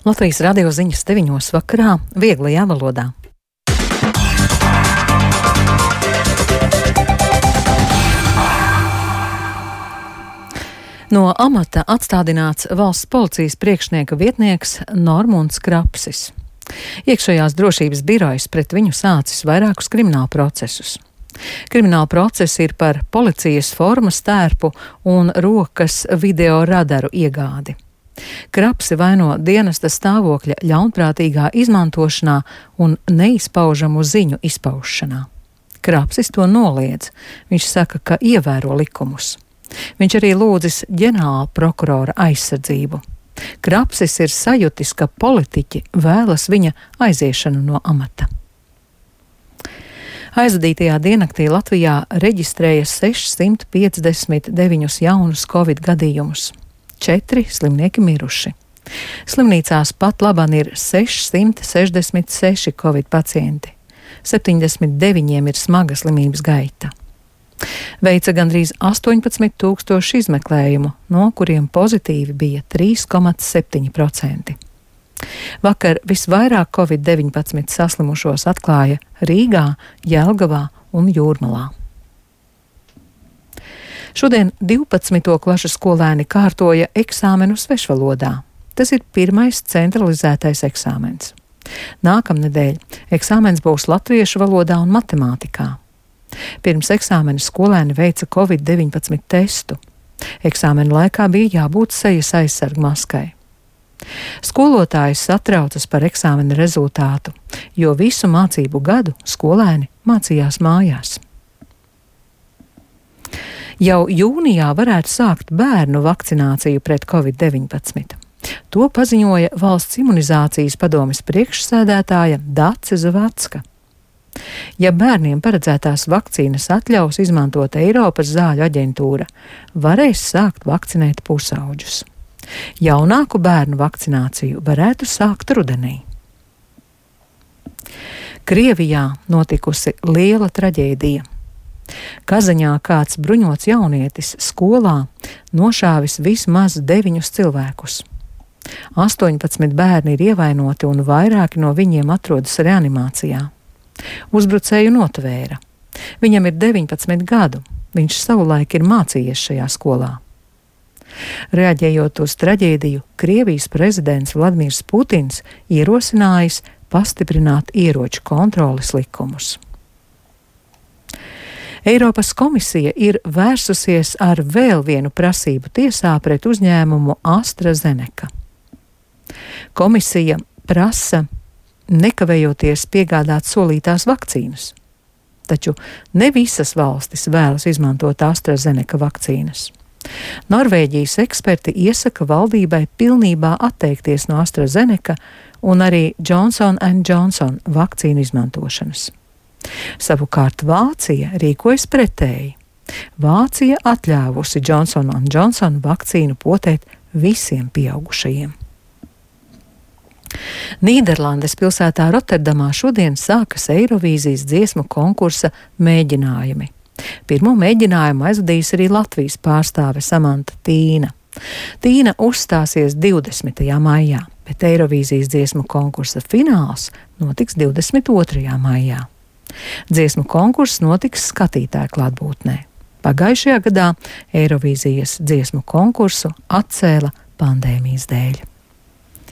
Latvijas radio ziņas 9 vakarā vieglajā valodā. No amata atstādināts valsts policijas priekšnieka vietnieks Normunds Krapsis. Iekšējās drošības birojas pret viņu sācis vairākus kriminālu procesus. Krimināla procesi ir par policijas formas tērpu un rokas video radaru iegādi. Krapsi vaino dienesta stāvokļa ļaunprātīgā izmantošanā un neizpaužamu ziņu izpaušanā. Krapsis to noliedz. Viņš saka, ka ievēro likumus. Viņš arī lūdzis ģenerāla prokurora aizsardzību. Krapsis ir sajutis, ka politiķi vēlas viņa aiziešanu no amata. Aizvadītajā diennaktī Latvijā reģistrēja 659 jaunus covid gadījumus. 4 slimnieki miruši. Slimnīcās pat labāk ir 666 covid pacienti. 79 ir smaga slimības gaita. Veica gandrīz 18,000 izmeklējumu, no kuriem pozitīvi bija 3,7%. Vakar visvairāk covid-19 saslimušos atklāja Rīgā, Jelgavā un Jūrmalā. Šodien 12. klašu skolēni kārtoja eksāmenu svešvalodā. Tas ir pirmais centralizētais eksāmens. Nākamnedēļ eksāmens būs latviešu valodā un matemātikā. Pirms eksāmena skolēni veica covid-19 testu. Eksāmena laikā bija jābūt sejas aizsargu maskai. Skolotājs satraucas par eksāmena rezultātu, jo visu mācību gadu skolēni mācījās mājās. Jau jūnijā varētu sākt bērnu vakcināciju pret covid-19. To paziņoja Valsts imunizācijas padomes priekšsēdētāja Dace Zavacka. Ja bērniem paredzētās vakcīnas atļaus izmantot Eiropas zāļu aģentūra, varēs sākt vakcinēt pusauģus. Jaunāku bērnu vakcināciju varētu sākt rudenī. Krievijā notikusi liela traģēdija. Kazaņā kāds bruņots jaunietis skolā nošāvis vismaz 9 cilvēkus. 18 bērni ir ievainoti un vairāki no viņiem atrodas reanimācijā. Uzbrucēju notvēra. Viņam ir 19 gadu. Viņš savulaik ir mācījies šajā skolā. Reaģējot uz traģēdiju, Krievijas prezidents Vladimirs Putins ierosinājis pastiprināt ieroču kontroles likumus. Eiropas komisija ir vērsusies ar vēl vienu prasību tiesā pret uzņēmumu AstraZeneca. Komisija prasa nekavējoties piegādāt solītās vakcīnas, taču ne visas valstis vēlas izmantot AstraZeneca vakcīnas. Norvēģijas eksperti iesaka valdībai pilnībā atteikties no AstraZeneca un arī Johnson & Johnson vakcīnu izmantošanas. Savukārt Vācija rīkojas pretēji. Vācija atļāvusi Johnson & Johnson vakcīnu potēt visiem pieaugušajiem. Nīderlandes pilsētā Rotterdamā šodien sākas Eirovīzijas dziesmu konkursa mēģinājumi. Pirmo mēģinājumu aizvadīs arī Latvijas pārstāve Samanta Tīna. Tīna uzstāsies 20. maijā, bet Eirovīzijas dziesmu konkursa fināls notiks 22. maijā. Dziesmu konkurss notiks skatītāju klātbūtnē. Pagājušajā gadā Eirovīzijas dziesmu konkursu atcēla pandēmijas dēļ.